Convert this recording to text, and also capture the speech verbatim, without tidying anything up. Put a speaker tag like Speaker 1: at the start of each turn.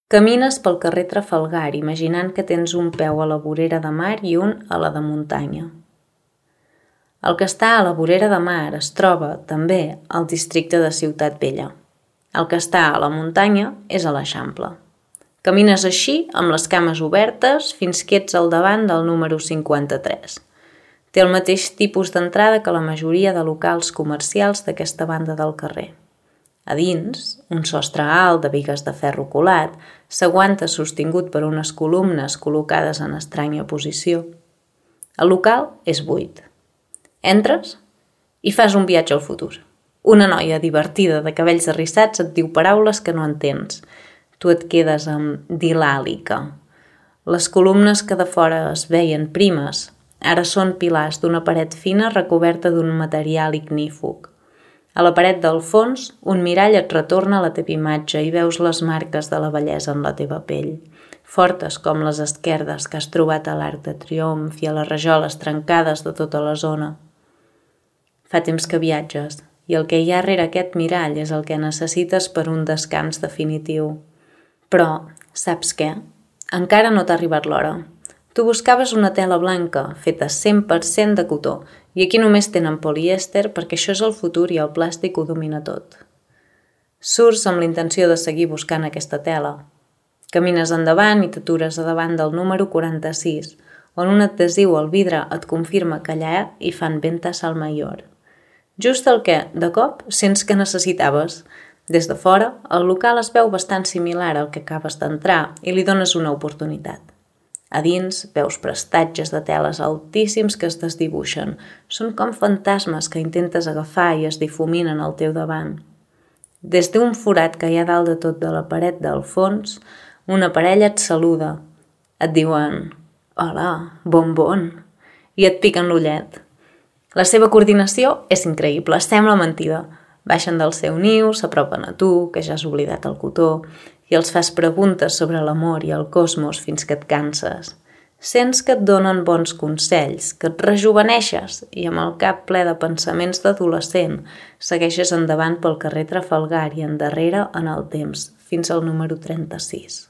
Speaker 1: Camines pel carrer Trafalgar imaginant que tens un peu a la vorera de mar i un a la de muntanya. El que està a la vorera de mar es troba, també, al districte de Ciutat Vella. El que està a la muntanya és a l'Eixample. Camines així, amb les cames obertes, fins que ets al davant del número cinquanta-tres. Té el mateix tipus d'entrada que la majoria de locals comercials d'aquesta banda del carrer. A dins, un sostre alt de bigues de ferro colat s'aguanta sostingut per unes columnes col·locades en estranya posició. El local és buit. Entres i fas un viatge al futur. Una noia divertida de cabells arrissats et diu paraules que no entens. Tu et quedes amb dilàlica. Les columnes que de fora es veien primes ara són pilars d'una paret fina recoberta d'un material ignífug. A la paret del fons, un mirall et retorna la teva imatge i veus les marques de la bellesa en la teva pell, fortes com les esquerdes que has trobat a l'Arc de Triomf i a les rajoles trencades de tota la zona. Fa temps que viatges, i el que hi ha rere aquest mirall és el que necessites per un descans definitiu. Però, saps què? Encara no t'ha arribat l'hora. Tu buscaves una tela blanca, feta cent per cent de cotó, i aquí només tenen polièster perquè això és el futur i el plàstic ho domina tot. Surts amb l'intenció de seguir buscant aquesta tela. Camines endavant i t'atures a davant del número quaranta-sis, on un adhesiu al vidre et confirma que allà hi fan ventas al mayor. Just el que, de cop, sents que necessitaves. Des de fora, el local es veu bastant similar al que acabes d'entrar i li dones una oportunitat. A dins veus prestatges de teles altíssims que es desdibuixen. Són com fantasmes que intentes agafar i es difuminen al teu davant. Des d'un forat que hi ha dalt de tot de la paret del fons, una parella et saluda. Et diuen «Hola, bon bon» i et piquen l'ullet. La seva coordinació és increïble, sembla mentida. Baixen del seu niu, s'apropen a tu, que ja has oblidat el cotó, i els fas preguntes sobre l'amor i el cosmos fins que et canses. Sents que et donen bons consells, que et rejuveneixes i amb el cap ple de pensaments d'adolescent segueixes endavant pel carrer Trafalgar i endarrere en el temps, fins al número trenta-sis.